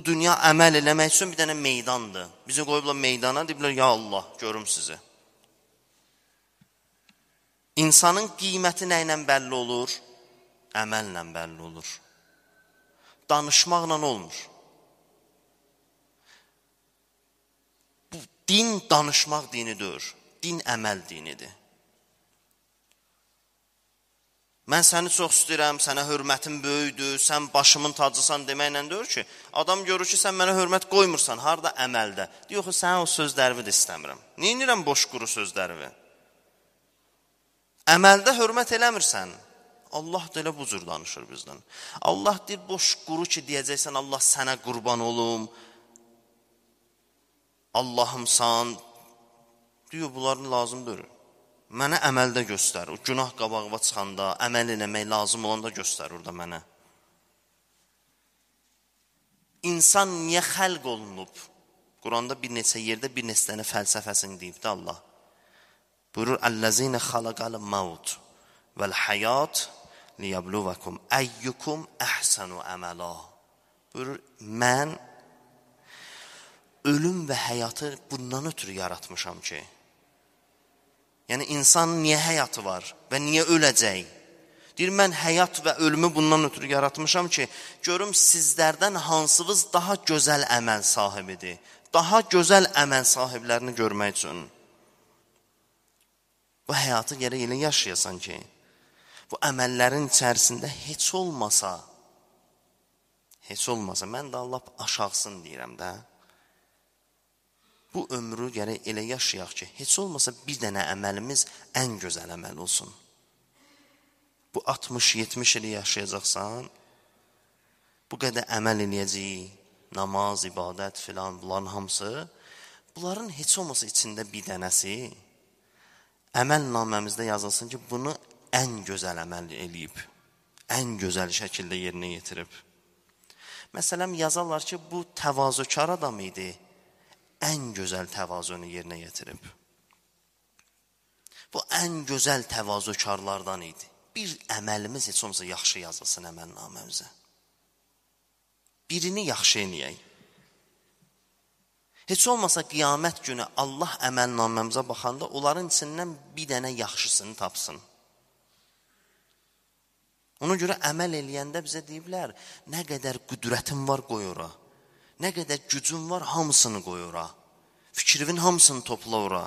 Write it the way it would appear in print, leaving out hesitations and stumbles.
Bu dünya əməl eləmək üçün bir dənə meydandır. Bizi qoyublar meydana, deyiblər, ya Allah, görüm sizi. İnsanın qiyməti nə ilə bəlli olur? Əməllə bəlli olur. Danışmaqla olmur. Bu din danışmaq dinidir. Din əməl dinidir. Mən səni çox istəyirəm, sənə hörmətim böyüdür, sən başımın tacısan deməklə deyir ki, adam görür ki, sən mənə hörmət qoymursan, harada əməldə. Yox, sən o sözlərimi də istəmirəm. Niyə inirəm boş quru sözlərimi? Əməldə hörmət eləmirsən. Allah da elə bu cür danışır bizdən. Allah deyir, boş quru ki, deyəcəksən, Allah sənə qurban olum, Allahımsan, diyor, bunların lazımdır. Mənə əməldə göstər. O günah qabağıma çıxanda, əməl eləmək lazım olanda göstər orada mənə. İnsan niyə xəlq olunub? Quranda bir neçə yerdə bir neçə dənə fəlsəfəsini deyib də Allah. Buyurur, Əl-ləzinə xalaqəl məvt vəl-həyat liyəbluvakum əyyukum əhsənu əməla. Buyurur, mən ölüm və həyatı bundan ötürü yaratmışam ki, yəni insanın niyə həyatı var və niyə öləcək? Deyir, mən həyat və ölümü bundan ötürü yaratmışam ki, görüm sizlərdən hansınız daha gözəl əməl sahibidir. Daha gözəl əməl sahiblərini görmək üçün. Bu həyatı gərək elə yaşayasan ki, bu əməllərin içərisində heç olmasa, mən də Allah aşağısın deyirəm də, bu ömrü gərək elə yaşayaq ki, heç olmasa bir dənə əməlimiz ən gözəl əməl olsun. Bu 60-70 ili yaşayacaqsan, bu qədər əməl eləyəcəyik, namaz, ibadət filan, bunların hamısı, bunların heç olmasa içində bir dənəsi, əməl naməmizdə yazılsın ki, bunu ən gözəl əməl eləyib, ən gözəl şəkildə yerinə yetirib. Məsələn, yazarlar ki, bu təvazökar adam idi, ən gözəl təvazunu yerinə yetirib. Bu ən gözəl təvazökarlardan idi. Bir əməlimiz heç olmasa yaxşı yazılsın əməlnaməmizə. Birini yaxşı eləyək. Heç olmasa qiyamət günü Allah əməlnaməmizə baxanda onların içindən bir dənə yaxşısını tapsın. Ona görə əməl eləyəndə bizə deyiblər, nə qədər qüdrətin var qoy ora. Nə qədər gücün var, hamısını qoy ora. Fikrivin hamısını topla ora.